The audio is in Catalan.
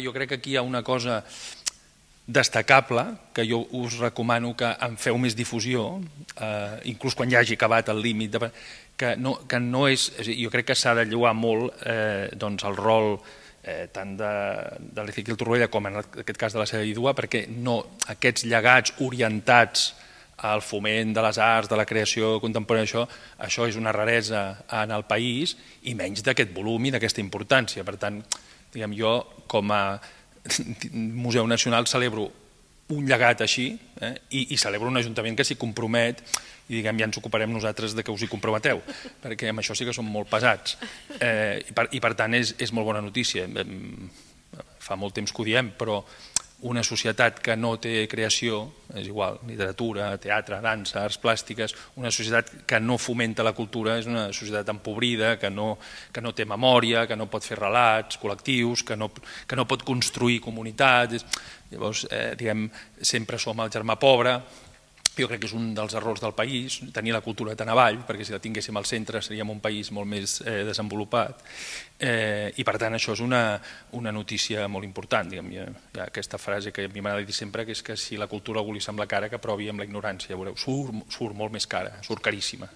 Jo crec que aquí hi ha una cosa destacable, que jo us recomano que en feu més difusió, inclús quan ja hagi acabat el límit, que no és, jo crec que s'ha de lloar molt el rol tant de l'Ezequiel Torroella com en aquest cas de la seva vídua, perquè aquests llegats orientats al foment de les arts, de la creació contemporània, això és una raresa en el país i menys d'aquest volum i d'aquesta importància. Per tant, jo com a Museu Nacional celebro un llegat així i celebro un ajuntament que s'hi compromet i ja ens ocuparem nosaltres que us hi comprometeu, perquè amb això sí que som molt pesats i per tant és molt bona notícia. Fa molt temps que ho diem, però una societat que no té creació, és igual, literatura, teatre, dansa, arts plàstiques, una societat que no fomenta la cultura és una societat empobrida, que no té memòria, que no pot fer relats col·lectius, que no pot construir comunitats. Llavors, sempre som el germà pobre. Jo crec que és un dels errors del país, tenir la cultura tan avall, perquè si la tinguéssim al centre seríem un país molt més desenvolupat. I per tant això és una notícia molt important. Hi ha aquesta frase que a mi m'agrada dir sempre, que és que si la cultura algú li sembla cara, que provi amb la ignorància. Veureu, surt molt més cara, surt caríssima.